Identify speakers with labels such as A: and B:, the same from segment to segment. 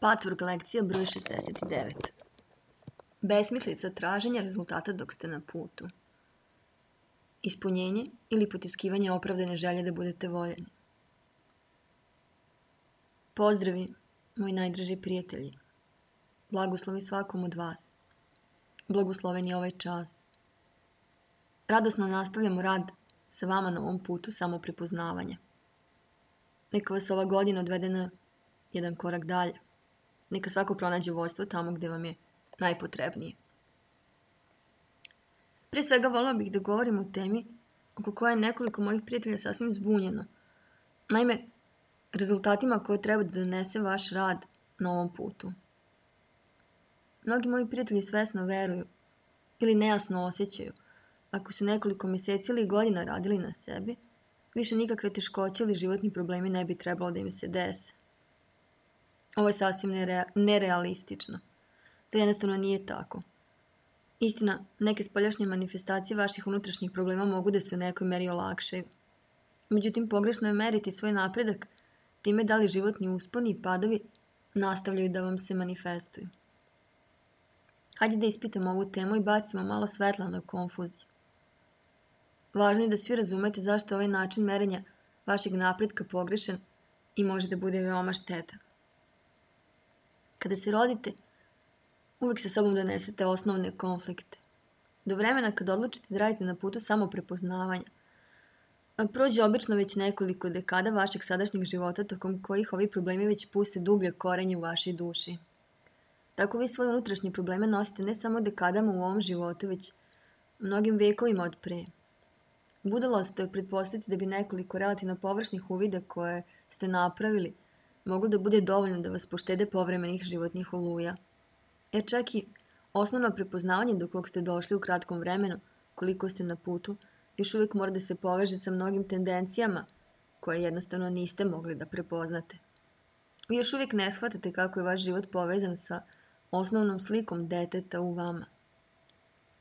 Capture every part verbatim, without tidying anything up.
A: Patvork lekcija broj šezdeset devet. Besmislica traženja rezultata dok ste na putu. Ispunjenje ili potiskivanje opravdane želje da budete voljeni. Pozdravi, moji najdraži prijatelji. Blagoslovi svakom od vas. Blagosloven je ovaj čas. Radosno nastavljamo rad sa vama na ovom putu samoprepoznavanja. Neka vas ova godina odvede na jedan korak dalje. Neka svako pronađe vođstvo tamo gde vam je najpotrebnije. Prije svega volila bih da govorim o temi oko koje je nekoliko mojih prijatelja sasvim zbunjeno. Naime, rezultatima koje treba da donese vaš rad na ovom putu. Mnogi moji prijatelji svesno veruju ili nejasno osjećaju ako su nekoliko mjeseci ili godina radili na sebi, više nikakve teškoće ili životni problemi ne bi trebalo da im se dese. Ovo je sasvim nere- nerealistično. To jednostavno nije tako. Istina, neke spoljašnje manifestacije vaših unutrašnjih problema mogu da se u nekoj meri olakšaju. Međutim, pogrešno je meriti svoj napredak time da li životni usponi i padovi nastavljaju da vam se manifestuju. Hajde da ispitamo ovu temu i bacimo malo svetla na konfuziju. Važno je da svi razumete zašto je ovaj način merenja vašeg napretka pogrešan i može da bude veoma štetan. Kada se rodite, uvek sa sobom donesete osnovne konflikte. Do vremena kad odlučite da radite na putu samoprepoznavanja, prođe obično već nekoliko dekada vašeg sadašnjeg života tokom kojih ovi problemi već puste dublje korenje u vašoj duši. Tako vi svoje unutrašnje probleme nosite ne samo dekadama u ovom životu, već mnogim vekovima od pre. Budalost je pretpostaviti da bi nekoliko relativno površnih uvida koje ste napravili moglo da bude dovoljno da vas poštede povremenih životnih oluja. Jer čak i osnovno prepoznavanje do kog ste došli u kratkom vremenu, koliko ste na putu, još uvijek mora da se poveže sa mnogim tendencijama koje jednostavno niste mogli da prepoznate. Vi još uvijek ne shvatate kako je vaš život povezan sa osnovnom slikom deteta u vama.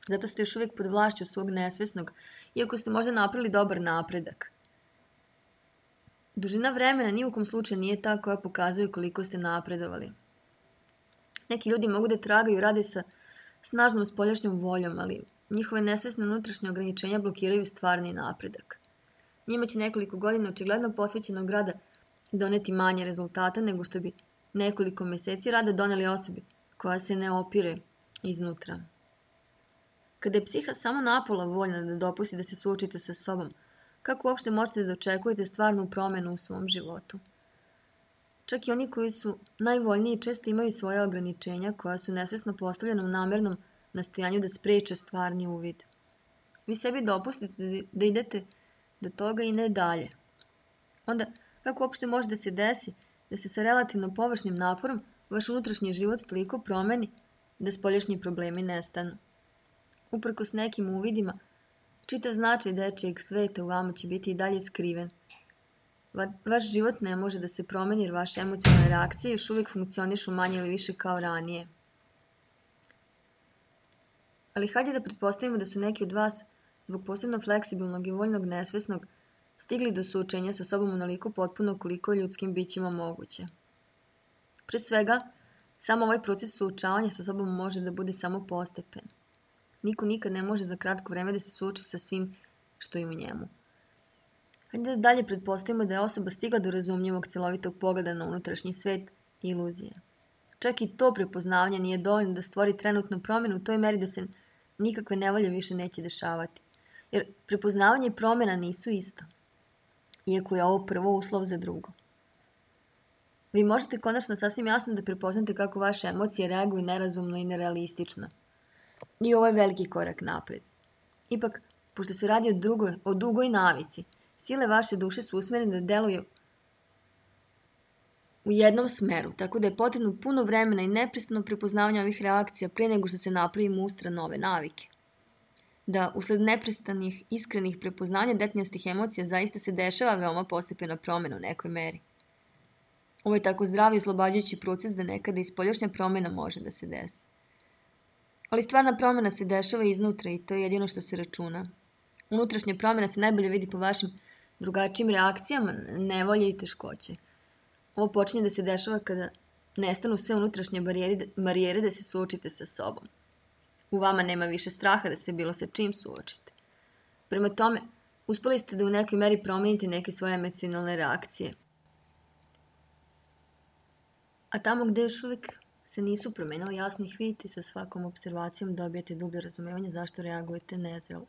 A: Zato ste još uvijek pod vlašću svog nesvesnog, iako ste možda napravili dobar napredak. Dužina vremena ni u kom slučaju nije ta koja pokazuje koliko ste napredovali. Neki ljudi mogu da tragaju i rade sa snažnom spoljašnjom voljom, ali njihove nesvesne unutrašnje ograničenja blokiraju stvarni napredak. Njima će nekoliko godina očigledno posvećenog rada doneti manje rezultata nego što bi nekoliko mjeseci rada doneli osobi koja se ne opire iznutra. Kada je psiha samo napola voljna da dopusti da se suočite sa sobom, kako uopšte možete da očekujete stvarnu promjenu u svom životu? Čak i oni koji su najvoljniji često imaju svoje ograničenja koja su nesvesno postavljena u namernom nastojanju da spreče stvarni uvid. Vi sebi dopustite da idete do toga i ne dalje. Onda, kako uopšte može da se desi da se sa relativno površnim naporom vaš unutrašnji život toliko promeni da spoljašnji problemi nestanu? Uprkos nekim uvidima, čitav značaj dečijeg sveta u vama će biti i dalje skriven. Va, vaš život ne može da se promeni jer vaše emocionalne reakcije još uvijek funkcionišu manje ili više kao ranije. Ali hajde da pretpostavimo da su neki od vas, zbog posebno fleksibilnog i voljnog nesvesnog, stigli do suočenja sa sobom onoliko potpuno koliko je ljudskim bićima moguće. Pre svega, samo ovaj proces suočavanja sa sobom može da bude samo postepen. Niko nikad ne može za kratko vreme da se suoči sa svim što je u njemu. Hajde da dalje pretpostavimo da je osoba stigla do razumljivog celovitog pogleda na unutrašnji svet i iluzije. Čak i to prepoznavanje nije dovoljno da stvori trenutnu promjenu u toj meri da se nikakve nevolje više neće dešavati. Jer prepoznavanje i promjena nisu isto. Iako je ovo prvo uslov za drugo. Vi možete konačno sasvim jasno da prepoznate kako vaše emocije reaguju nerazumno i nerealistično. I ovo je veliki korak napred. Ipak, pošto se radi o, drugoj, o dugoj navici, sile vaše duše su usmjerene da deluju u jednom smeru, tako da je potrebno puno vremena i neprestano prepoznavanje ovih reakcija pre nego što se napravi mustra nove navike. Da, usled neprestanih, iskrenih prepoznanja detinjastih emocija zaista se dešava veoma postepena promjena u nekoj meri. Ovo je tako zdravi i oslobađajući proces da nekada i spoljašnja promjena može da se desi. Ali stvarna promjena se dešava iznutra i to je jedino što se računa. Unutrašnja promjena se najbolje vidi po vašim drugačijim reakcijama, nevolje i teškoće. Ovo počinje da se dešava kada nestanu sve unutrašnje barijere, barijere da se suočite sa sobom. U vama nema više straha da se bilo sa čim suočite. Prema tome, uspeli ste da u nekoj meri promijenite neke svoje emocionalne reakcije. A tamo gde još uvijek se nisu promenili, jasno ih vidite, sa svakom observacijom dobijete dublje razumevanje zašto reagujete nezrelo.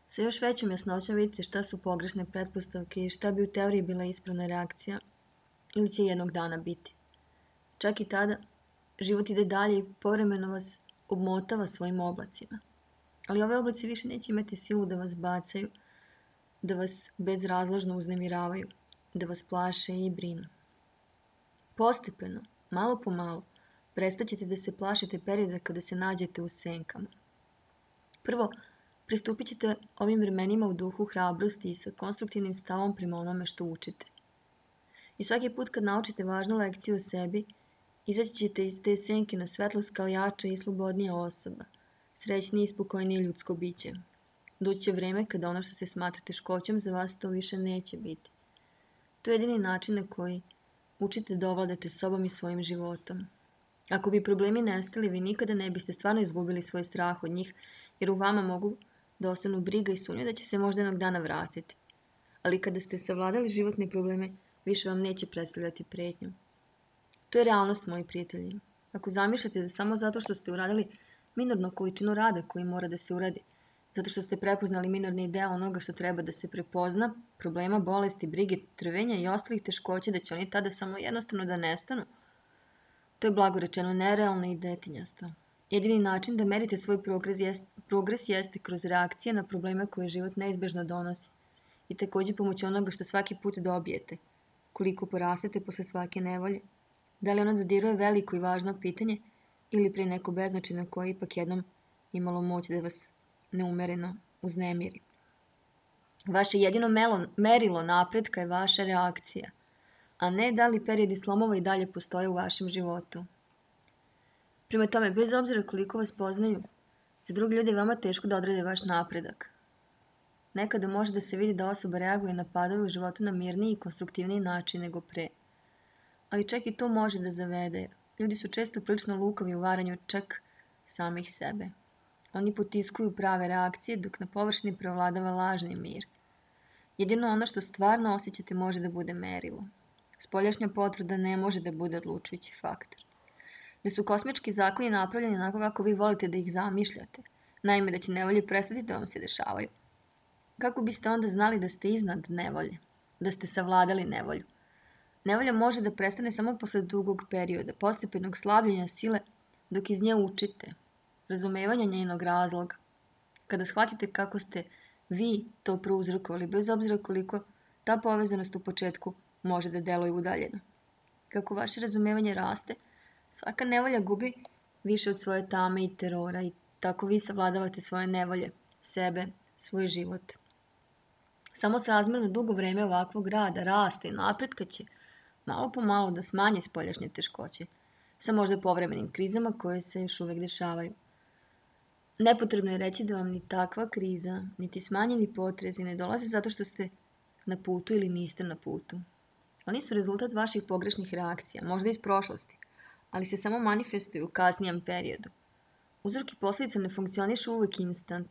A: Sa još većom jasnoćom vidite šta su pogrešne pretpostavke i šta bi u teoriji bila ispravna reakcija ili će jednog dana biti. Čak i tada, život ide dalje i povremeno vas obmotava svojim oblacima. Ali ove oblaci više neće imati silu da vas bacaju, da vas bezrazložno uznemiravaju, da vas plaše i brinu. Postepeno, malo po malo, prestaćete da se plašite perioda kada se nađete u senkama. Prvo, pristupit ćete ovim vremenima u duhu hrabrosti i sa konstruktivnim stavom prema onome što učite. I svaki put kad naučite važnu lekciju o sebi, izaći ćete iz te senke na svetlost kao jača i slobodnija osoba, srećnije i spokojnije ljudsko biće. Doći će vreme kada ono što se smatra teškoćom za vas to više neće biti. To je jedini način na koji učite da ovladate sobom i svojim životom. Ako bi problemi nestali, vi nikada ne biste stvarno izgubili svoj strah od njih, jer u vama mogu da ostanu briga i sumnja da će se možda jednog dana vratiti. Ali kada ste savladali životne probleme, više vam neće predstavljati pretnju. To je realnost, moji prijatelji. Ako zamišljate da samo zato što ste uradili minornu količinu rada koji mora da se uradi, zato što ste prepoznali minorni deo onoga što treba da se prepozna, problema, bolesti, brige, trvenja i ostalih teškoća, da će oni tada samo jednostavno da nestanu, to je blago rečeno nerealno i detinjasto. Jedini način da merite svoj progres, jest, progres jeste kroz reakcije na probleme koje život neizbežno donosi i također pomoću onoga što svaki put dobijete, koliko porastete posle svake nevolje. Da li ona dodiruje veliko i važno pitanje ili pre neko beznačajno koje ipak jednom imalo moć da vas neumereno uznemiri. Vaše jedino melo, merilo napretka je vaša reakcija, a ne da li periodi slomova i dalje postoje u vašem životu. Prema tome, bez obzira koliko vas poznaju, za drugi ljudi je vama teško da odrede vaš napredak. Nekada može da se vidi da osoba reaguje na padove u životu na mirniji i konstruktivniji način nego pre. Ali čak i to može da zavede. Ljudi su često prilično lukavi u varanju čak samih sebe. Oni potiskuju prave reakcije dok na površini prevladava lažni mir. Jedino ono što stvarno osjećate može da bude merilo. Spoljašnja potvrda ne može da bude odlučujući faktor. Da su kosmički zakoni napravljeni onako kako vi volite da ih zamišljate, naime da će nevolje prestati da vam se dešavaju. Kako biste onda znali da ste iznad nevolje, da ste savladali nevolju? Nevolja može da prestane samo posle dugog perioda, postepenog slabljenja sile, dok iz nje učite, razumevanja njenog razloga. Kada shvatite kako ste vi to prouzrokovali, bez obzira koliko ta povezanost u početku može da deluje udaljeno. Kako vaše razumevanje raste, svaka nevolja gubi više od svoje tame i terora i tako vi savladavate svoje nevolje, sebe, svoj život. Samo srazmjerno dugo vreme ovakvog rada, rasta i napretka će malo po malo da smanje spoljašnje teškoće, sa možda povremenim krizama koje se još uvek dešavaju. Nepotrebno je reći da vam ni takva kriza, niti smanjeni potrezi ne dolaze zato što ste na putu ili niste na putu. Oni su rezultat vaših pogrešnih reakcija, možda iz prošlosti, ali se samo manifestuju u kasnijem periodu. Uzrok i posljedica ne funkcionišu uvek instant,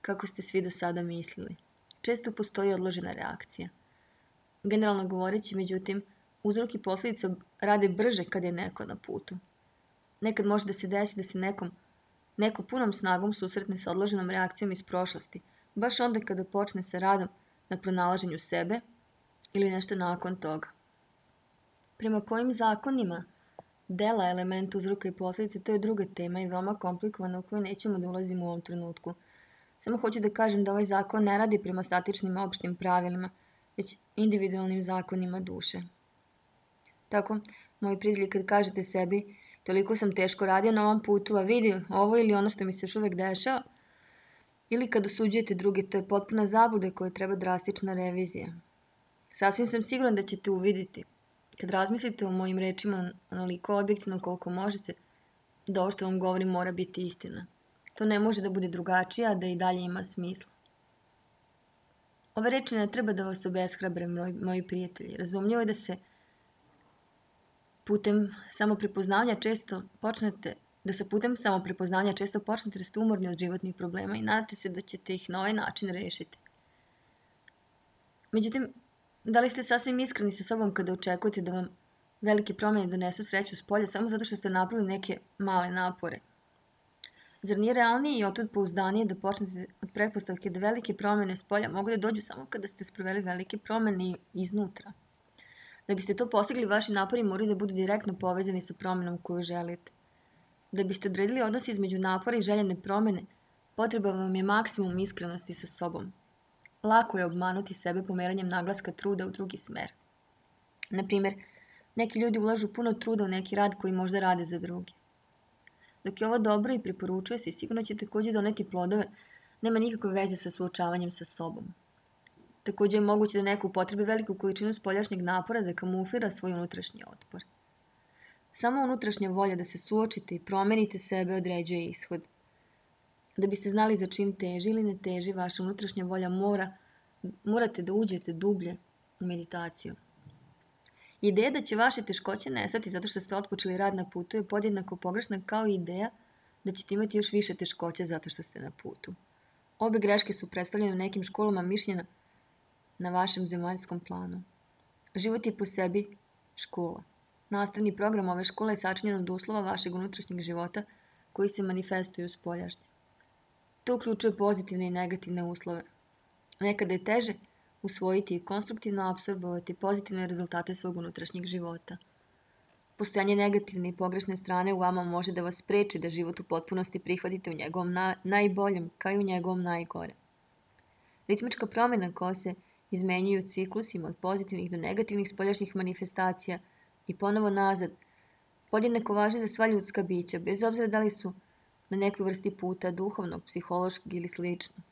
A: kako ste svi do sada mislili. Često postoji odložena reakcija. Generalno govoreći, međutim, uzrok i posljedica rade brže kad je neko na putu. Nekad može da se desi da se nekom, neko punom snagom susretne sa odloženom reakcijom iz prošlosti, baš onda kada počne sa radom na pronalaženju sebe ili nešto nakon toga. Prema kojim zakonima dela elementa uzroka i posljedice, to je druga tema i veoma komplikovana u koju nećemo da ulazimo u ovom trenutku. Samo hoću da kažem da ovaj zakon ne radi prema statičnim opštim pravilima, već individualnim zakonima duše. Tako, moji prijatelji, kad kažete sebi toliko sam teško radio na ovom putu, a vidi ovo ili ono što mi se još uvek dešava, ili kad osuđujete druge, to je potpuna zabluda koja treba drastična revizija. Sasvim sam siguran da ćete uviditi, kad razmislite o mojim rečima onoliko objektivno koliko možete, da ovo što vam govorim mora biti istina. To ne može da bude drugačije, a da i dalje ima smisla. Ove reči ne treba da vas obeshrabre, moji prijatelji. Razumljivo je da se putem samoprepoznavanja često počnete da sa putem samoprepoznavanja često počnete da ste umorni od životnih problema i nadate se da ćete ih na ovaj način rešiti. Međutim, da li ste sasvim iskreni sa sobom kada očekujete da vam velike promjene donesu sreću s polja samo zato što ste napravili neke male napore? Zar nije realnije i otud pouzdanije da počnete od pretpostavke da velike promjene s polja mogu da dođu samo kada ste sproveli velike promjene iznutra? Da biste to postigli, vaši napori moraju da budu direktno povezani sa promjenom koju želite. Da biste odredili odnos između napora i željene promjene, potreba vam je maksimum iskrenosti sa sobom. Lako je obmanuti sebe pomeranjem naglaska truda u drugi smer. Naprimjer, neki ljudi ulažu puno truda u neki rad koji možda rade za druge. Dok je ovo dobro i preporučuje se i sigurno će također doneti plodove, nema nikakve veze sa suočavanjem sa sobom. Također je moguće da neko upotrebi veliku količinu spoljašnjeg napora da kamuflira svoj unutrašnji otpor. Samo unutrašnja volja da se suočite i promenite sebe određuje ishod. Da biste znali za čim teži ili ne teži, vaša unutrašnja volja mora, morate da uđete dublje u meditaciju. Ideja da će vaše teškoće nestati zato što ste otpočeli rad na putu je podjednako pogrešna kao i ideja da ćete imati još više teškoće zato što ste na putu. Obe greške su predstavljene u nekim školama mišljenja na vašem zemaljskom planu. Život je po sebi škola. Nastavni program ove škole je sačinjen od uslova vašeg unutrašnjeg života koji se manifestuju spoljašnje. To uključuje pozitivne i negativne uslove. Nekada je teže usvojiti i konstruktivno apsorbovati pozitivne rezultate svog unutrašnjeg života. Postojanje negativne i pogrešne strane u vama može da vas spreči da život u potpunosti prihvatite u njegovom na, najboljem, kao i u njegovom najgore. Ritmička promjena koja se izmenjuju ciklusima od pozitivnih do negativnih spoljašnjih manifestacija i ponovo nazad, podjednako važi za sva ljudska bića, bez obzira da li su na nekoj vrsti puta, duhovnog, psihološkog ili slično.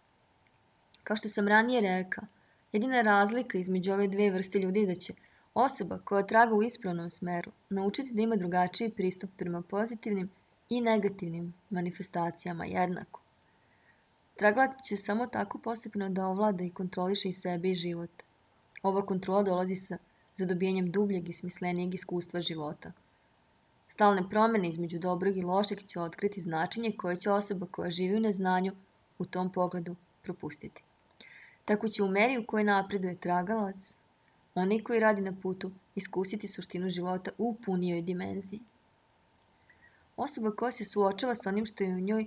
A: Kao što sam ranije rekao, jedina razlika između ove dve vrste ljudi je da će osoba koja traga u ispravnom smeru naučiti da ima drugačiji pristup prema pozitivnim i negativnim manifestacijama jednako. Tragalac će samo tako postepeno da ovlada i kontroliše i sebe i život. Ova kontrola dolazi sa zadobijanjem dubljeg i smislenijeg iskustva života. Stalne promjene između dobrog i lošeg će otkriti značenje koje će osoba koja živi u neznanju u tom pogledu propustiti. Tako će u meri u kojoj napreduje tragalac, onaj koji radi na putu, iskusiti suštinu života u punijoj dimenziji. Osoba koja se suočava sa onim što je u njoj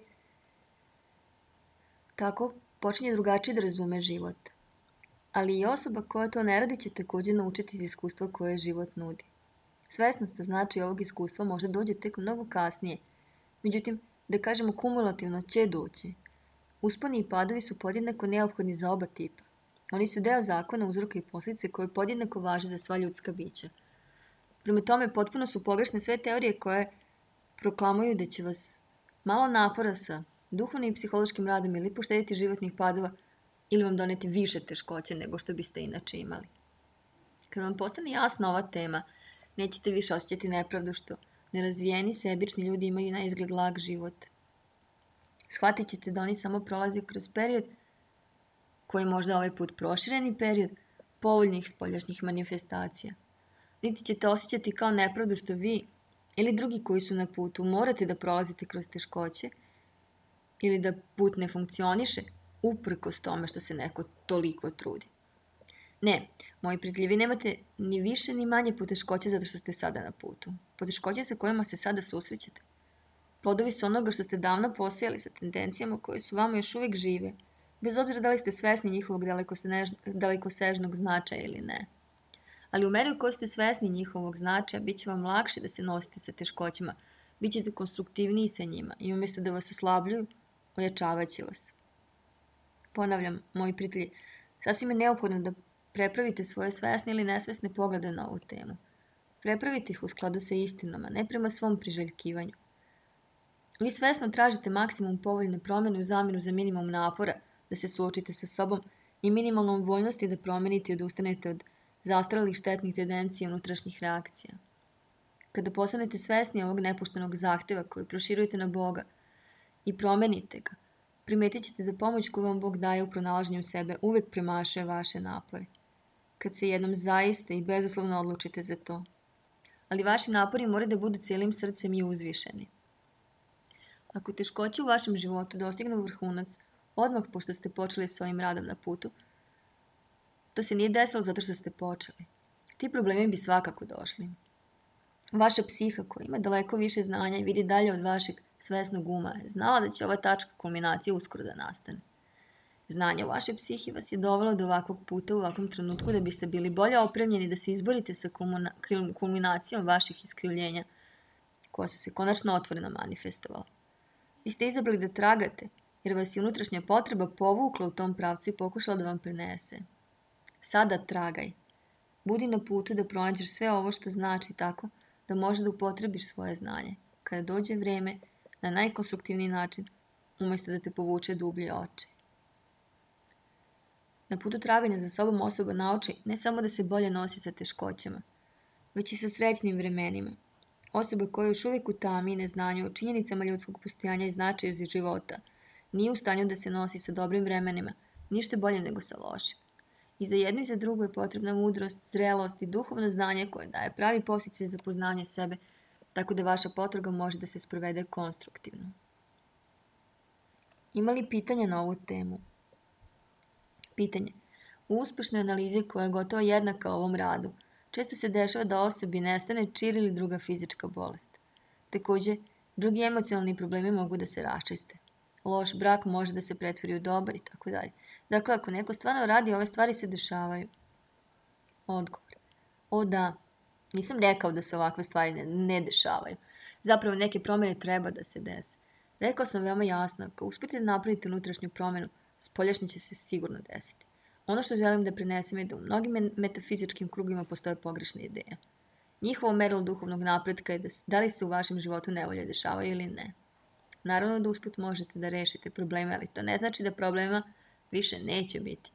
A: tako počinje drugačije da razume život. Ali i osoba koja to ne radi će također naučiti iz iskustva koje život nudi. Svesnost znači ovog iskustva možda dođe tek mnogo kasnije. Međutim, da kažemo kumulativno će doći. Usponi i padovi su podjednako neophodni za oba tipa. Oni su deo zakona uzroka i posljedice koje podjednako važe za sva ljudska bića. Prema tome, potpuno su pogrešne sve teorije koje proklamuju da će vas malo napora sa duhovnim i psihološkim radom ili poštediti životnih padova ili vam doneti više teškoće nego što biste inače imali. Kad vam postane jasna ova tema, nećete više osjećati nepravdu što nerazvijeni, sebični ljudi imaju na izgled lag život. Shvatit ćete da oni samo prolaze kroz period koji je možda ovaj put prošireni period povoljnih spoljašnjih manifestacija. Niti ćete osjećati kao nepravdu što vi ili drugi koji su na putu morate da prolazite kroz teškoće ili da put ne funkcioniše uprkos tome što se neko toliko trudi. Ne, moji prijatelji, vi nemate ni više ni manje poteškoće zato što ste sada na putu. Poteškoće sa kojima se sada susrećete. Plodovi su onoga što ste davno posijali sa tendencijama koje su vama još uvijek žive, bez obzira da li ste svesni njihovog dalekosežnog značaja ili ne. Ali u meri u kojoj ste svesni njihovog značaja, bit će vam lakše da se nosite sa teškoćima, bit ćete konstruktivniji sa njima i umjesto da vas oslabljuju, ojačavat će vas. Ponavljam, moji prijatelji, sasvim je neophodno da prepravite svoje svesne ili nesvesne poglede na ovu temu. Prepravite ih u skladu sa istinom, a ne prema svom priželjkivanju. Vi svesno tražite maksimum povoljne promjene u zamjenu za minimum napora da se suočite sa sobom i minimalnom voljnosti da promenite i odustanete od zastarelih štetnih tendencija unutrašnjih reakcija. Kada postanete svesni ovog nepoštenog zahteva koji proširujete na Boga i promenite ga, primetit ćete da pomoć koju vam Bog daje u pronalaženju sebe uvijek premašuje vaše napore. Kad se jednom zaista i bezuslovno odlučite za to. ali vaši napori moraju da budu cijelim srcem i uzvišeni. Ako teškoće u vašem životu dostignu vrhunac, odmah pošto ste počeli sa ovim radom na putu, to se nije desilo zato što ste počeli. Ti problemi bi svakako došli. Vaša psiha koja ima daleko više znanja i vidi dalje od vašeg svesnog uma je znala da će ova tačka kulminacije uskoro da nastane. Znanje u vašoj psihi vas je dovelo do ovakvog puta u ovakvom trenutku da biste bili bolje opremljeni da se izborite sa kulminacijom vaših iskrivljenja koja su se konačno otvoreno manifestovala. Vi ste izabrali da tragate jer vas je unutrašnja potreba povukla u tom pravcu i pokušala da vam prenese. Sada tragaj. Budi na putu da pronađeš sve ovo što znači tako da može da upotrebiš svoje znanje kada dođe vreme na najkonstruktivniji način umjesto da te povuče dublje oči. Na putu traganja za sobom osoba nauči ne samo da se bolje nosi sa teškoćama, već i sa srećnim vremenima. Osoba koja još uvijek u tami i neznanju o činjenicama ljudskog postojanja i značaju za života nije u stanju da se nosi sa dobrim vremenima, ništa bolje nego sa lošim. I za jedno i za drugo je potrebna mudrost, zrelost i duhovno znanje koje daje pravi podsticaj za poznanje sebe, tako da vaša potraga može da se sprovede konstruktivno. Ima li pitanja na ovu temu? Pitanje. U uspešnoj analizi koja je gotovo jednaka ovom radu, često se dešava da osobi nestane čir ili druga fizička bolest. Također, drugi emocionalni problemi mogu da se raščiste. Loš brak može da se pretvori u dobar i tako dalje. Dakle, ako neko stvarno radi, ove stvari se dešavaju. Odgovor. O da, nisam rekao da se ovakve stvari ne, ne dešavaju. Zapravo neke promjene treba da se dese. Rekao sam veoma jasno, ako uspite da napravite unutrašnju promjenu, spoljašnje će se sigurno desiti. Ono što želim da prenesem je da u mnogim metafizičkim krugovima postoje pogrešne ideje. Njihovo merilo duhovnog napretka je da, da li se u vašem životu nevolje dešavaju ili ne. Naravno da usput možete da rešite probleme, ali to ne znači da problema više neće biti.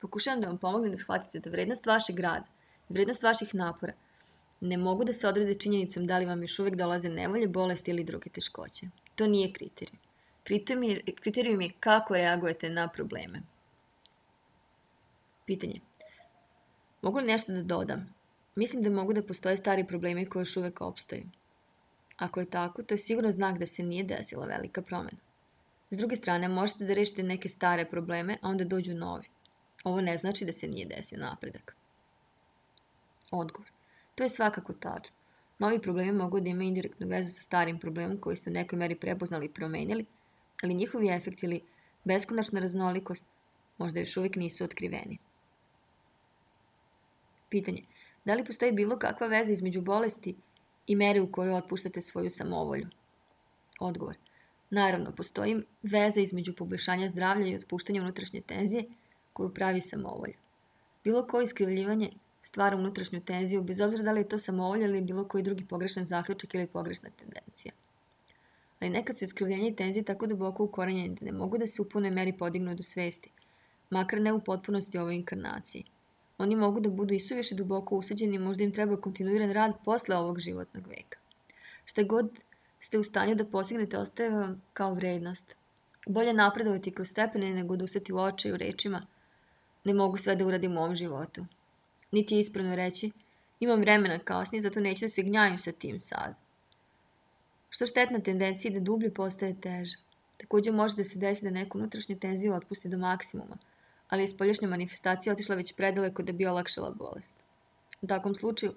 A: Pokušavam da vam pomognem da shvatite da vrednost vašeg rada i vrednost vaših napora ne mogu da se odrede činjenicom da li vam još uvijek dolaze nevolje, bolesti ili druge teškoće. To nije kriterijum. Kriterijum je, kriterijum je kako reagujete na probleme. Pitanje. Mogu li nešto da dodam? Mislim da mogu da postoje stari problemi koji još uvijek opstaju. Ako je tako, to je sigurno znak da se nije desila velika promjena. S druge strane, možete da rešite neke stare probleme, a onda dođu novi. Ovo ne znači da se nije desio napredak. Odgovor. To je svakako tačno. Novi problemi mogu da imaju indirektnu vezu sa starim problemom koji ste u nekoj meri prepoznali i promenili, ali njihovi efekti ili beskonačna raznolikost možda još uvijek nisu otkriveni. Pitanje. Da li postoji bilo kakva veza između bolesti i mere u kojoj otpuštate svoju samovolju? Odgovor. Naravno, postoji veza između poboljšanja zdravlja i otpuštanja unutrašnje tenzije koju pravi samovolja. Bilo koje iskrivljivanje stvara unutrašnju tenziju, bez obzira da li je to samovolja ili bilo koji drugi pogrešan zaključak ili pogrešna tendencija. Ali nekad su iskrivljenja i tenzije tako duboko ukorenjeni da ne mogu da se u punoj meri podignu do svesti, makar ne u potpunosti ovoj inkarnaciji. Oni mogu da budu isuviše duboko usađeni i možda im treba kontinuiran rad posle ovog životnog veka. Šta god ste u stanju da postignete ostaje vam kao vrednost. Bolje napredovati kroz stepene nego da ustati u očaju rečima ne mogu sve da uradim u ovom životu. Niti je ispravno reći imam vremena kasnije, zato neću da se gnjavim sa tim sad. Što štetna tendencija da dublje postaje teža. Također može da se desi da neku unutrašnju tenziju otpusti do maksimuma, ali je spoljašnja manifestacija otišla već predaleko da bi olakšala bolest. U takvom slučaju,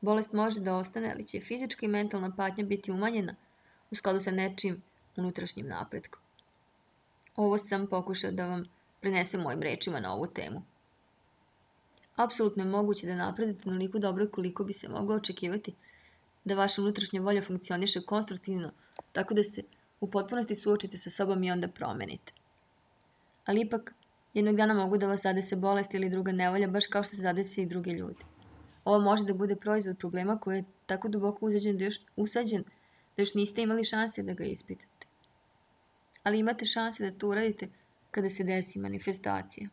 A: bolest može da ostane, ali će fizička i mentalna patnja biti umanjena u skladu sa nečijim unutrašnjim napretkom. Ovo sam pokušao da vam prenesem mojim rečima na ovu temu. Apsolutno je moguće da napredujete onoliko dobro koliko bi se moglo očekivati da vaša unutrašnja volja funkcioniše konstruktivno, tako da se u potpunosti suočite sa sobom i onda promenite. Ali ipak, jednog dana mogu da vas zadese bolest ili druga nevolja, baš kao što se zadese i druge ljudi. Ovo može da bude proizvod problema koji je tako duboko usađen da još, usađen da još niste imali šanse da ga ispitate. Ali imate šanse da to uradite kada se desi manifestacija.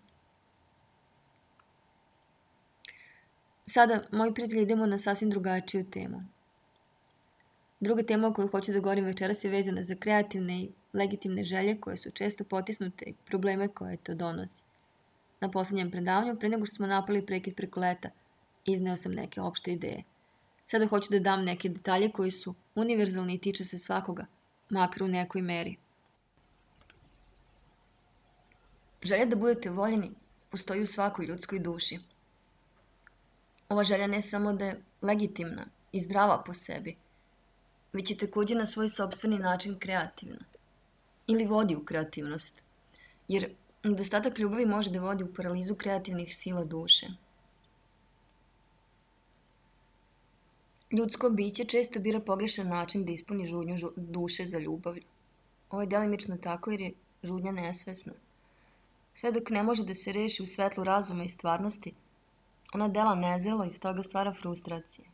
A: Sada, moji prijatelji, idemo na sasvim drugačiju temu. Druga tema o kojoj hoću da govorim večeras je vezana za kreativne i legitimne želje koje su često potisnute i probleme koje to donosi. Na poslednjem predavanju, pre nego što smo napali prekid preko leta, izneo sam neke opšte ideje. Sada hoću da dam neke detalje koji su univerzalni i tiču se svakoga, makar u nekoj meri. Želja da budete voljeni postoji u svakoj ljudskoj duši. Ova želja ne samo da je legitimna i zdrava po sebi, već je takođe na svoj sopstveni način kreativna ili vodi u kreativnost, jer nedostatak ljubavi može da vodi u paralizu kreativnih sila duše. Ljudsko biće često bira pogrešan način da ispuni žudnju duše za ljubavlju. Ovo je delimično tako jer je žudnja nesvesna. Sve dok ne može da se reši u svetlu razuma i stvarnosti, ona dela nezrelo i iz toga stvara frustracije.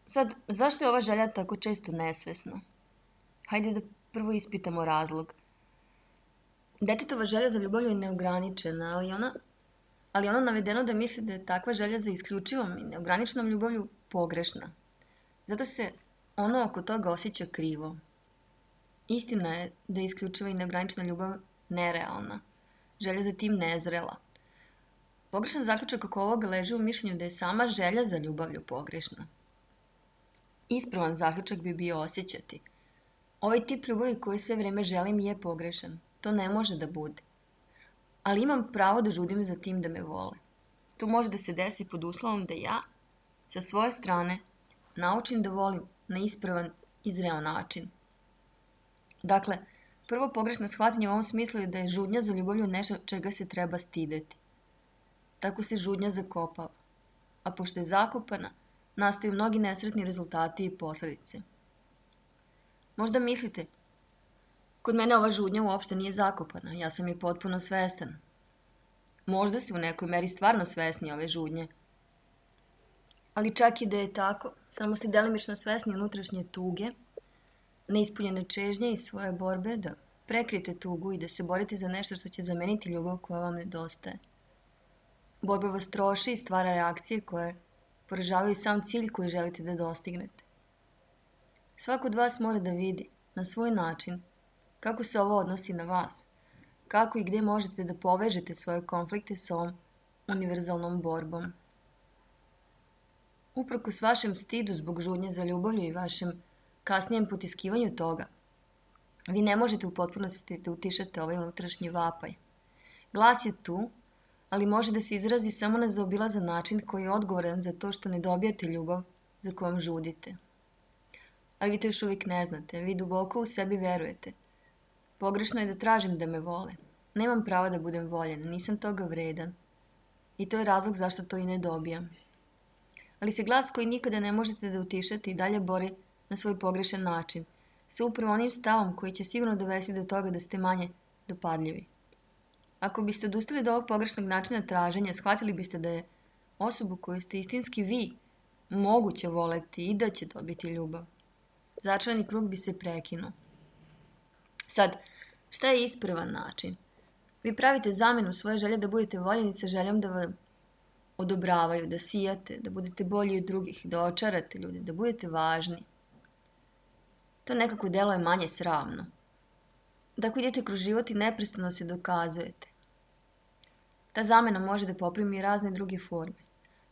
A: Sad, zašto je ova želja tako često nesvesna? Hajde da prvo ispitamo razlog. Detetova želja za ljubavlju je neograničena, ali ona, ali ono navedeno da misli da je takva želja za isključivom i neograničenom ljubavlju pogrešna. Zato se ono oko toga osjeća krivo. Istina je da je isključiva i neograničena ljubav nerealna. Želja za tim nezrela. Pogrešan zaključak oko ovoga leži u mišljenju da je sama želja za ljubavlju pogrešna. Ispravan zaključak bi bio osjećati. Ovaj tip ljubavi koji sve vreme želim je pogrešan. To ne može da bude. Ali imam pravo da žudim za tim da me vole. To može da se desi pod uslovom da ja, sa svoje strane, naučim da volim na ispravan i zreo način. Dakle, prvo pogrešno shvatanje u ovom smislu je da je žudnja za ljubavlju nešto čega se treba stideti. Tako se žudnja zakopava. A pošto je zakopana, nastaju mnogi nesretni rezultati i posledice. Možda mislite, kod mene ova žudnja uopšte nije zakopana, ja sam je potpuno svestan. Možda ste u nekoj meri stvarno svesni ove žudnje. Ali čak i da je tako, samo ste delimično svesni unutrašnje tuge, neispunjene čežnje i svoje borbe da prekrijete tugu i da se borite za nešto što će zameniti ljubav koja vam nedostaje. Borba vas troši i stvara reakcije koje poražavaju sam cilj koji želite da dostignete. Svako od vas mora da vidi, na svoj način, kako se ovo odnosi na vas, kako i gde možete da povežete svoje konflikte sa ovom univerzalnom borbom. Uprkos vašem stidu zbog žudnje za ljubavlju i vašem kasnijem potiskivanju toga, vi ne možete u potpunosti da utišate ovaj unutrašnji vapaj. Glas je tu, ali može da se izrazi samo na zaobilazan način koji je odgovoran za to što ne dobijate ljubav za kojom žudite. Ali vi to još uvijek ne znate, vi duboko u sebi verujete. Pogrešno je da tražim da me vole. Nemam prava da budem voljen, nisam toga vredan. I to je razlog zašto to i ne dobijam. Ali se glas koji nikada ne možete da utišate i dalje bori na svoj pogrešan način, sa upravo onim stavom koji će sigurno dovesti do toga da ste manje dopadljivi. Ako biste odustali od ovog pogrešnog načina traženja, shvatili biste da je osobu koju ste istinski vi moguće voleti i da će dobiti ljubav. Začarani krug bi se prekinuo. Sad, šta je ispravan način? Vi pravite zamenu svoje želje da budete voljeni sa željom da vam odobravaju, da sijate, da budete bolji od drugih, da očarate ljude, da budete važni. To nekako deluje manje sramno. Tako idete kroz život i neprestano se dokazujete. Ta zamena može da poprimi razne druge forme.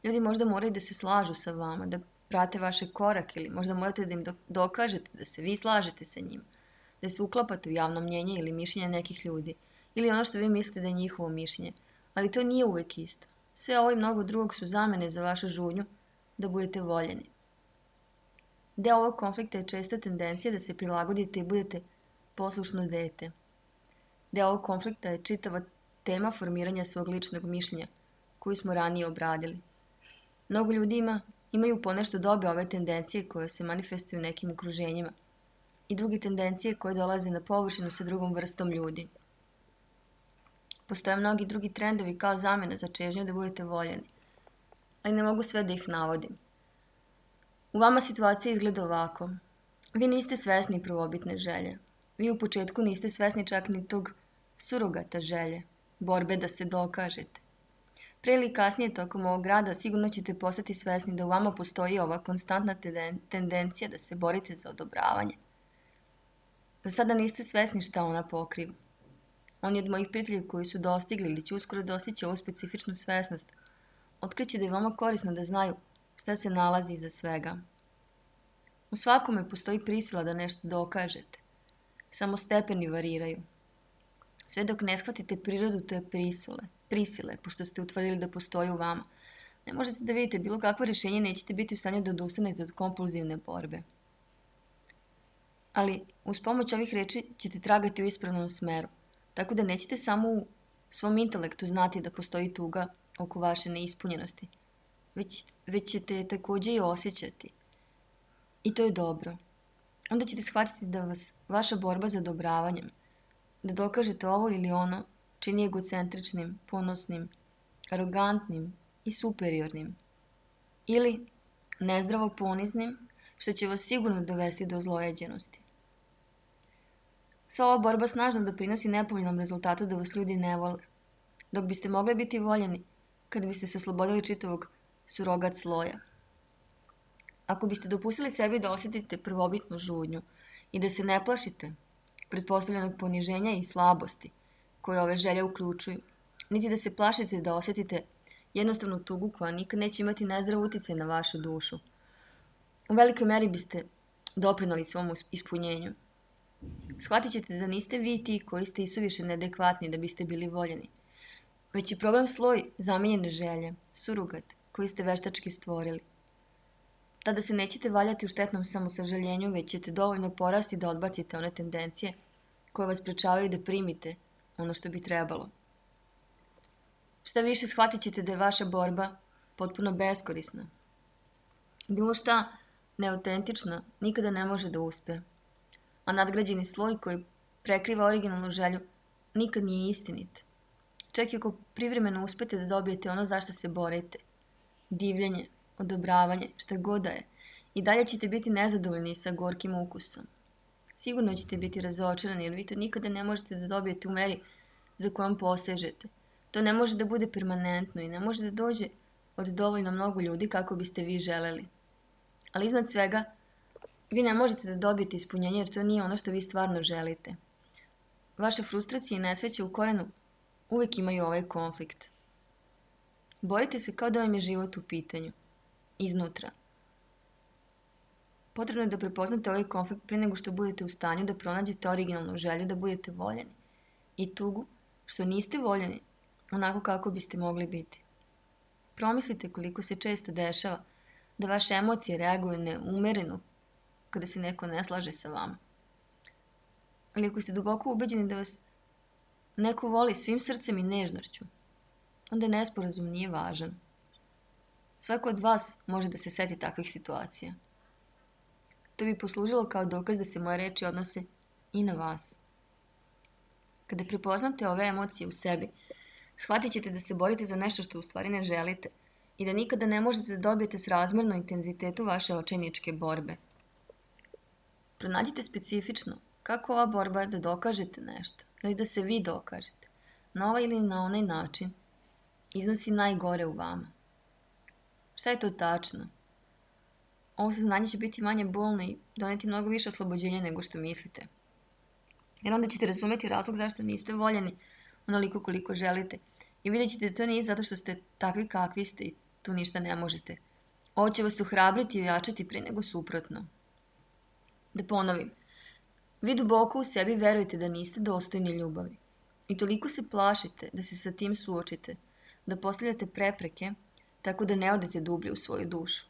A: Ljudi možda moraju da se slažu sa vama, da prate vaše korake ili možda morate da im dokažete da se vi slažete sa njima, da se uklapate u javno mnjenje ili mišljenje nekih ljudi, ili ono što vi mislite da je njihovo mišljenje, ali to nije uvek isto. Sve ovo i mnogo drugog su zamene za vašu žudnju da budete voljeni. Deo ovog konflikta je česta tendencija da se prilagodite i budete poslušno dete. Deo ovog konflikta je čitava tema formiranja svog ličnog mišljenja, koju smo ranije obradili. Mnogo ljudi ima, imaju ponešto dobe ove tendencije koje se manifestuju u nekim okruženjima i druge tendencije koje dolaze na površinu sa drugom vrstom ljudi. Postoje mnogi drugi trendovi kao zamena za čežnju da budete voljeni, ali ne mogu sve da ih navodim. U vama situacija izgleda ovako. Vi niste svesni prvobitne želje. Vi u početku niste svesni čak ni tog surogata želje, borbe da se dokažete. Pre ili kasnije tokom ovog rada sigurno ćete postati svesni da u vama postoji ova konstantna tendencija da se borite za odobravanje. Za sada niste svesni šta ona pokriva. Oni od mojih prijatelja koji su dostigli ili će uskoro dostići ovu specifičnu svesnost, otkriće da je vama korisno da znaju Šta se nalazi iza svega? U svakome postoji prisila da nešto dokažete. Samo stepeni variraju. Sve dok ne shvatite prirodu te prisile, prisile, pošto ste utvrdili da postoji u vama, ne možete da vidite bilo kakvo rješenje, nećete biti u stanju da odustanete od kompulzivne borbe. Ali uz pomoć ovih reči ćete tragati u ispravnom smeru, tako da nećete samo u svom intelektu znati da postoji tuga oko vaše neispunjenosti, već, već ćete je također i osjećati. I to je dobro. Onda ćete shvatiti da vas vaša borba za odobravanjem, da dokažete ovo ili ono, čini egocentričnim, ponosnim, arogantnim i superiornim. Ili nezdravo poniznim, što će vas sigurno dovesti do zlojeđenosti. Sva ova borba snažno doprinosi nepovoljnom rezultatu da vas ljudi ne vole, dok biste mogli biti voljeni kad biste se oslobodili čitavog surogat sloja. Ako biste dopustili sebi da osjetite prvobitnu žudnju i da se ne plašite pretpostavljenog poniženja i slabosti koje ove želje uključuju, niti da se plašite da osjetite jednostavnu tugu koja nikad neće imati nezdrav utjecaj na vašu dušu, u velikoj meri biste doprinali svom ispunjenju. Shvatit ćete da niste vi ti koji ste isuviše neadekvatni da biste bili voljeni, već je problem sloj zamijenjene želje, surogat koji ste veštački stvorili. Tada se nećete valjati u štetnom samosažaljenju, već ćete dovoljno porasti da odbacite one tendencije koje vas sprečavaju da primite ono što bi trebalo. Šta više, shvatit ćete da je vaša borba potpuno beskorisna. Bilo šta neautentično nikada ne može da uspe, a nadgrađeni sloj koji prekriva originalnu želju nikad nije istinit. Čak i ako privremeno uspete da dobijete ono za što se borite, divljenje, odobravanje, šta god da je, i dalje ćete biti nezadovoljni sa gorkim ukusom. Sigurno ćete biti razočarani jer vi to nikada ne možete da dobijete u meri za kojom posežete. To ne može da bude permanentno i ne može da dođe od dovoljno mnogo ljudi kako biste vi želeli. Ali iznad svega, vi ne možete da dobijete ispunjenje jer to nije ono što vi stvarno želite. Vaše frustracije i nesreće u korenu uvijek imaju ovaj konflikt. Borite se kao da vam je život u pitanju. Iznutra. Potrebno je da prepoznate ovaj konflikt prije nego što budete u stanju da pronađete originalnu želju da budete voljeni i tugu što niste voljeni onako kako biste mogli biti. Promislite koliko se često dešava da vaše emocije reaguju neumereno kada se neko ne slaže sa vama. Ali ako ste duboko ubeđeni da vas neko voli svim srcem i nežnošću, onda nesporazum nije važan. Svako od vas može da se seti takvih situacija. To bi poslužilo kao dokaz da se moje reči odnose i na vas. Kada prepoznate ove emocije u sebi, shvatit ćete da se borite za nešto što u stvari ne želite i da nikada ne možete da dobijete srazmjerno intenzitetu vaše očajničke borbe. Pronađite specifično kako ova borba da dokažete nešto ili da se vi dokažete, na ovaj ili na onaj način, iznosi najgore u vama. Šta je to tačno? Ovo saznanje će biti manje bolno i doneti mnogo više oslobođenja nego što mislite. Jer onda ćete razumjeti razlog zašto niste voljeni onoliko koliko želite i vidjet ćete da to nije zato što ste takvi kakvi ste i tu ništa ne možete. Ovo će vas ohrabriti i ojačati prije nego suprotno. Da ponovim, vi duboko u sebi verujete da niste dostojni ljubavi i toliko se plašite da se sa tim suočite, da postavljate prepreke tako da ne odete dublje u svoju dušu.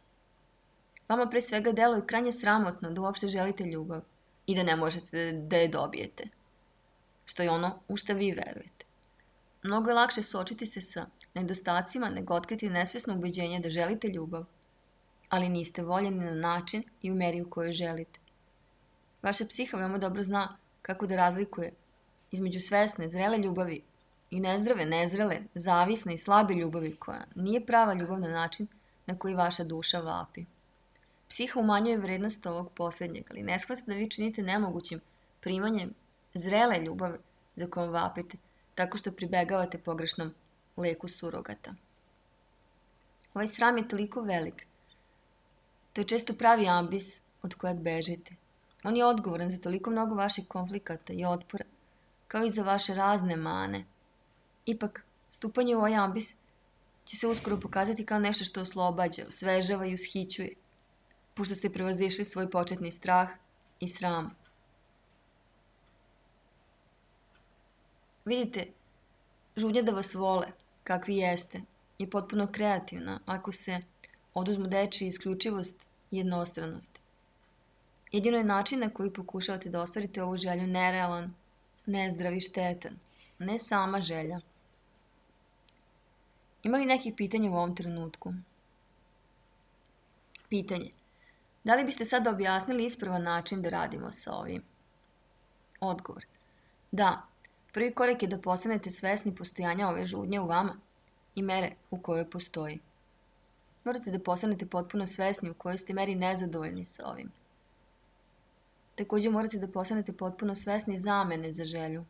A: Vama pre svega deluje krajnje sramotno da uopšte želite ljubav i da ne možete da je dobijete, što je ono u što vi verujete. Mnogo je lakše suočiti se sa nedostacima nego otkriti nesvjesno ubeđenje da želite ljubav, ali niste voljeni na način i u meri u kojoj želite. Vaša psiha veoma dobro zna kako da razlikuje između svesne, zrele ljubavi i nezdrave, nezrele, zavisne i slabe ljubavi koja nije prava ljubav na način na koji vaša duša vapi. Psiha umanjuje vrednost ovog posljednjeg, ali ne shvata da vi činite nemogućim primanjem zrele ljubave za kojom vapite, tako što pribegavate pogrešnom leku surogata. Ovaj sram je toliko velik. To je često pravi ambis od kojeg bežite. On je odgovoran za toliko mnogo vaših konflikata i otpora, kao i za vaše razne mane. Ipak, stupanje u ovaj ambis će se uskoro pokazati kao nešto što oslobađa, osvežava i ushićuje, pošto ste prevazišli svoj početni strah i sram. Vidite, žudnja da vas vole, kakvi jeste, je potpuno kreativna ako se oduzmu dečija isključivost i jednostranost. Jedino je način na koji pokušavate da ostvarite ovu želju nerealan, nezdrav i štetan, ne sama želja. Ima li nekih pitanja u ovom trenutku? Pitanje. Da li biste sada objasnili ispravan način da radimo sa ovim? Odgovor. Da, prvi korak je da postanete svesni postojanja ove žudnje u vama i mere u kojoj postoji. Morate da postanete potpuno svesni u kojoj ste meri nezadovoljni sa ovim. Također morate da postanete potpuno svesni zamene za želju.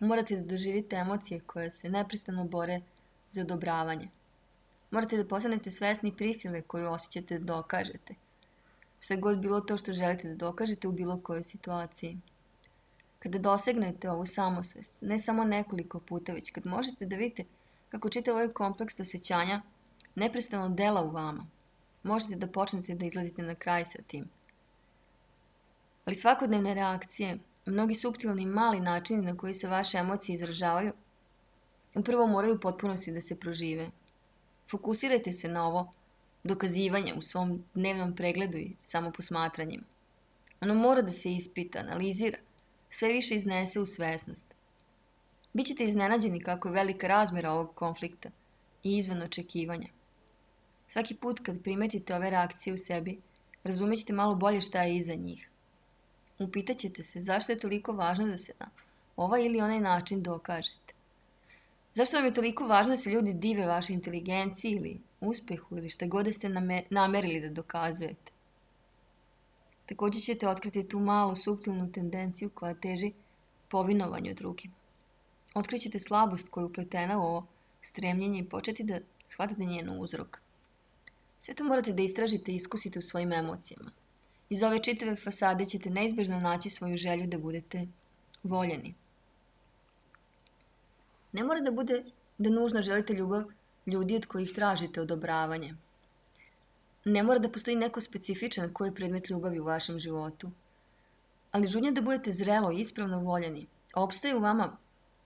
A: Morate da doživite emocije koje se neprestano bore za odobravanje. Morate da postanete svesni prisile koju osjećate da dokažete. Šta god bilo to što želite da dokažete u bilo kojoj situaciji. Kada dosegnete ovu samosvest, ne samo nekoliko puta, već kad možete da vidite kako čitav ovaj kompleks osjećanja neprestano dela u vama, možete da počnete da izlazite na kraj sa tim. Ali svakodnevne reakcije, mnogi suptilni i mali načini na koji se vaše emocije izražavaju, upravo moraju u potpunosti da se prožive. Fokusirajte se na ovo dokazivanje u svom dnevnom pregledu i samoposmatranjima. Ono mora da se ispita, analizira, sve više iznese u svesnost. Bićete iznenađeni kako je velika razmjera ovog konflikta i izvan očekivanja. Svaki put kad primetite ove reakcije u sebi, razumećete malo bolje šta je iza njih. Upitaćete se zašto je toliko važno da se na ovaj ili onaj način dokažete. Zašto vam je toliko važno da se ljudi dive vašoj inteligenciji ili uspehu ili šta god da ste namerili da dokazujete. Također ćete otkriti tu malu suptilnu tendenciju koja teži povinovanju drugima. Otkrićete slabost koja je upletena u ovo stremljenje i početi da shvatate njen uzrok. Sve to morate da istražite i iskusite u svojim emocijama. Iz ove čitave fasade ćete neizbežno naći svoju želju da budete voljeni. Ne mora da bude da nužno želite ljubav ljudi od kojih tražite odobravanje. Ne mora da postoji neko specifičan koji je predmet ljubavi u vašem životu. Ali žudnja da budete zrelo i ispravno voljeni opstaje u vama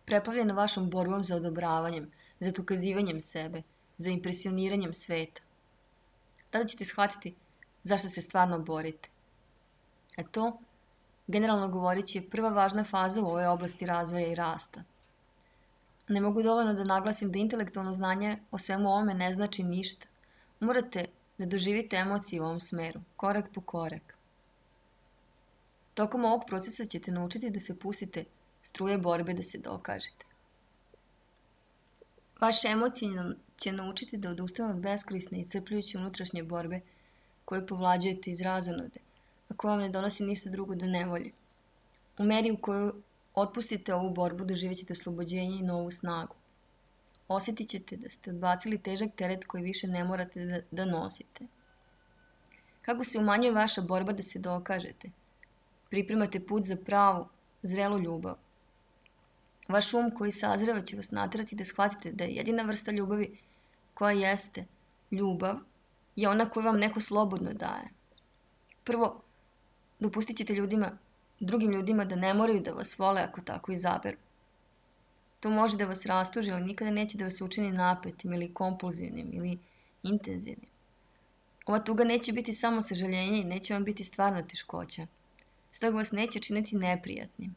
A: preplavljena vašom borbom za odobravanjem, za dokazivanjem sebe, za impresioniranjem sveta. Tada ćete shvatiti zašto se stvarno borite. A to, generalno govoreći, je prva važna faza u ovoj oblasti razvoja i rasta. Ne mogu dovoljno da naglasim da intelektualno znanje o svemu ovome ne znači ništa. Morate da doživite emocije u ovom smeru, korak po korak. Tokom ovog procesa ćete naučiti da se pustite struje borbe da se dokažete. Vaše emocije će naučiti da odustanu od beskorisne i iscrpljujuće unutrašnje borbe koje povlađujete iz razonude, a koja vam ne donosi ništa drugo do nevolje. U meri u kojoj otpustite ovu borbu, doživjet ćete oslobođenje i novu snagu. Osjetit ćete da ste odbacili težak teret koji više ne morate da, da nosite. Kako se umanjuje vaša borba da se dokažete? Pripremate put za pravu, zrelu ljubav. Vaš um koji sazreva će vas naterati da shvatite da je jedina vrsta ljubavi koja jeste ljubav je ona koju vam neko slobodno daje. Prvo, dopustit ćete ljudima, drugim ljudima da ne moraju da vas vole ako tako izaberu. To može da vas rastuži, ali nikada neće da vas učini napetim ili kompulzivnim ili intenzivnim. Ova tuga neće biti samo sažaljenje i neće vam biti stvarna teškoća. Stoga vas neće činiti neprijatnim.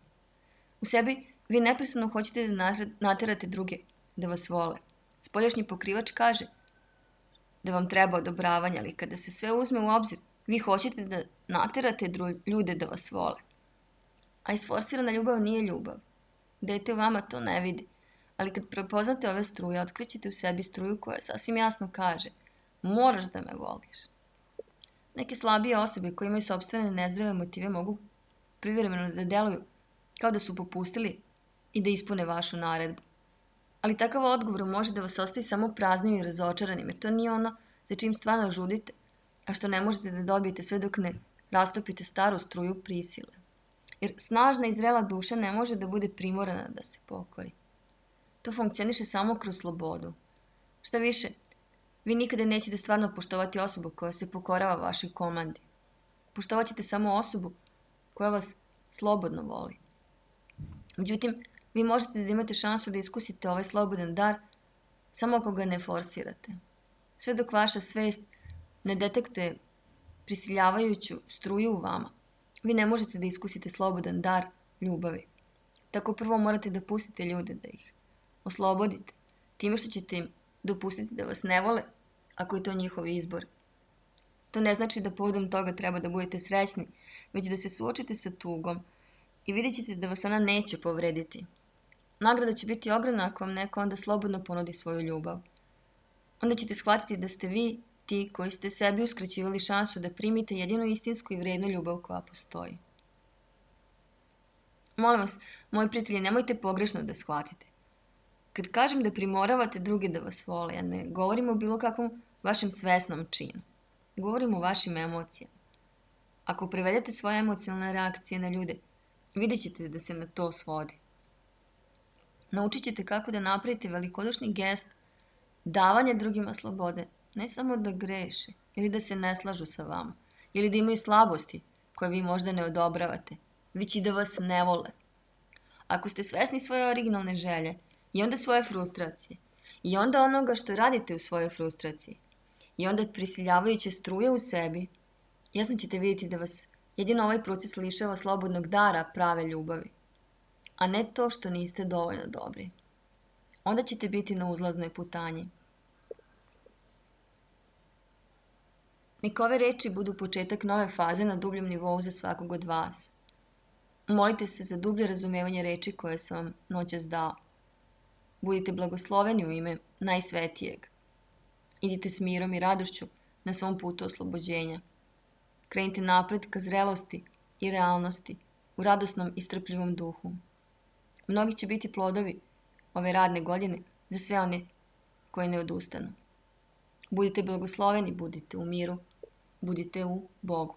A: U sebi vi neprestano hoćete da naterate druge da vas vole. Spoljašnji pokrivač kaže da vam treba odobravanje, ali kada se sve uzme u obzir, vi hoćete da naterate ljude da vas vole. A isforsirana ljubav nije ljubav. Dete u vama to ne vidi, ali kad prepoznate ove struje, otkrićete u sebi struju koja sasvim jasno kaže moraš da me voliš. Neke slabije osobe koje imaju sopstvene nezdrave motive mogu privremeno da deluju kao da su popustili i da ispune vašu naredbu. Ali takav odgovor može da vas ostavi samo praznim i razočaranim, jer to nije ono za čim stvarno žudite, a što ne možete da dobijete sve dok ne rastopite staru struju prisile. Jer snažna i zrela duša ne može da bude primorana da se pokori. To funkcioniše samo kroz slobodu. Šta više, vi nikada nećete stvarno poštovati osobu koja se pokorava vašoj komandi. Poštovat ćete samo osobu koja vas slobodno voli. Međutim, vi možete da imate šansu da iskusite ovaj slobodan dar samo ako ga ne forsirate. Sve dok vaša svest ne detektuje prisiljavajuću struju u vama, vi ne možete da iskusite slobodan dar ljubavi. Tako prvo morate da pustite ljude, da ih oslobodite, time što ćete im dopustiti da vas ne vole, ako je to njihov izbor. To ne znači da povodom toga treba da budete srećni, već da se suočite sa tugom i vidjet ćete da vas ona neće povrediti. Nagrada će biti ogromna ako vam neko onda slobodno ponudi svoju ljubav. Onda ćete shvatiti da ste vi ti koji ste sebi uskraćivali šansu da primite jedinu istinsku i vrednu ljubav koja postoji. Molim vas, moji prijatelji, nemojte pogrešno da shvatite. Kad kažem da primoravate druge da vas vole, ja ne govorim o bilo kakvom vašem svesnom činu. Govorim o vašim emocijama. Ako prevedete svoje emocionalne reakcije na ljude, vidjet ćete da se na to svodi. Naučit ćete kako da napravite velikodušni gest davanja drugima slobode, ne samo da greše ili da se ne slažu sa vama, ili da imaju slabosti koje vi možda ne odobravate, već i da vas ne vole. Ako ste svesni svoje originalne želje i onda svoje frustracije i onda onoga što radite u svojoj frustraciji i onda prisiljavajuće struje u sebi, jasno ćete vidjeti da vas jedino ovaj proces lišava slobodnog dara prave ljubavi, a ne to što niste dovoljno dobri. Onda ćete biti na uzlaznoj putanji. Neka ove reči budu početak nove faze na dubljem nivou za svakog od vas. Molite se za dublje razumevanje reči koje sam vam noćas dao. Budite blagosloveni u ime najsvetijeg. Idite s mirom i radošću na svom putu oslobođenja. Krenite napred ka zrelosti i realnosti u radosnom i strpljivom duhu. Mnogi će biti plodovi ove radne godine za sve one koji ne odustanu. Budite blagosloveni, budite u miru, budite u Bogu.